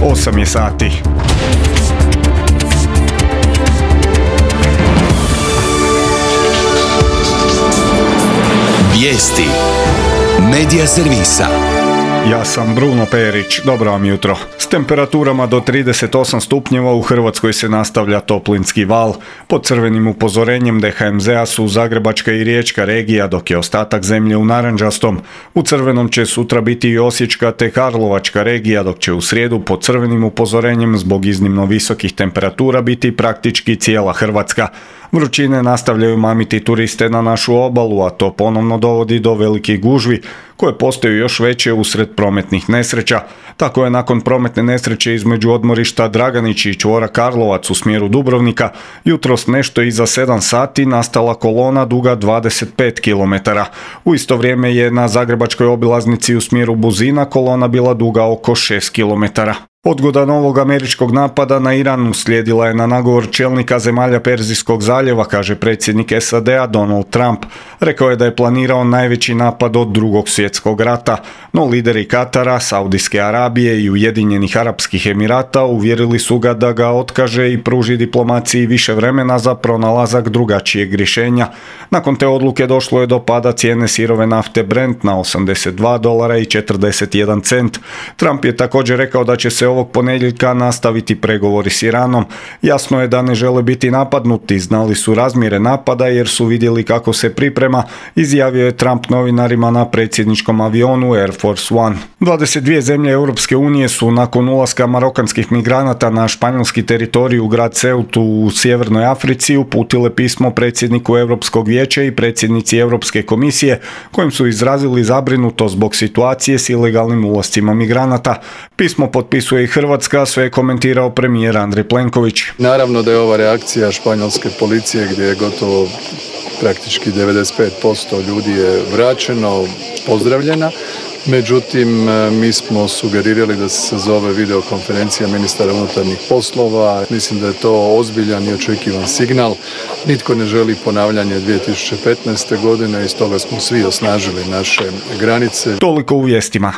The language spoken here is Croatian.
8 je sati. Vijesti Medija servisa. Ja sam Bruno Perić, dobro vam jutro. S temperaturama do 38 stupnjeva u Hrvatskoj se nastavlja toplinski val. Pod crvenim upozorenjem DHMZ-a su Zagrebačka i Riječka regija, dok je ostatak zemlje u narančastom. U crvenom će sutra biti i Osječka te Karlovačka regija, dok će u srijedu pod crvenim upozorenjem zbog iznimno visokih temperatura biti praktički cijela Hrvatska. Vrućine nastavljaju mamiti turiste na našu obalu, a to ponovno dovodi do velikih gužvi, koje postaju još veće usred prometnih nesreća. Tako je nakon prometne nesreće između odmorišta Draganić i čvora Karlovac u smjeru Dubrovnika jutros nešto iza 7 sati nastala kolona duga 25 km. U isto vrijeme je na zagrebačkoj obilaznici u smjeru Buzina kolona bila duga oko 6 km. Odgoda novog američkog napada na Iran uslijedila je na nagovor čelnika zemalja Perzijskog zaljeva, kaže predsjednik SAD-a Donald Trump. Rekao je da je planirao najveći napad od Drugog svjetskog rata, no lideri Katara, Saudijske Arabije i Ujedinjenih Arapskih Emirata uvjerili su ga da ga otkaže i pruži diplomaciji više vremena za pronalazak drugačijeg rješenja. Nakon te odluke došlo je do pada cijene sirove nafte Brent na $82.41. Trump je također rekao da će se ovog ponedjeljka nastaviti pregovori s Iranom. Jasno je da ne žele biti napadnuti, znali su razmjere napada jer su vidjeli kako se priprema, izjavio je Trump novinarima na predsjedničkom avionu Air Force One. 22 zemlje Europske unije su nakon ulaska marokanskih migranata na španjolski teritorij u grad Ceutu u Sjevernoj Africi uputile pismo predsjedniku Europskog vijeća i predsjednici Europske komisije, kojim su izrazili zabrinutost zbog situacije s ilegalnim ulascima migranata. Pismo potpisuje i Hrvatska, sve je komentirao premijer Andrej Plenković. Naravno da je ova reakcija španjolske policije gdje je gotovo praktički 95% ljudi je vraćeno, pozdravljena. Međutim, mi smo sugerirali da se sazove videokonferencija ministara unutarnjih poslova. Mislim da je to ozbiljan i očekivan signal. Nitko ne želi ponavljanje 2015. godine i stoga smo svi osnažili naše granice. Toliko u vijestima.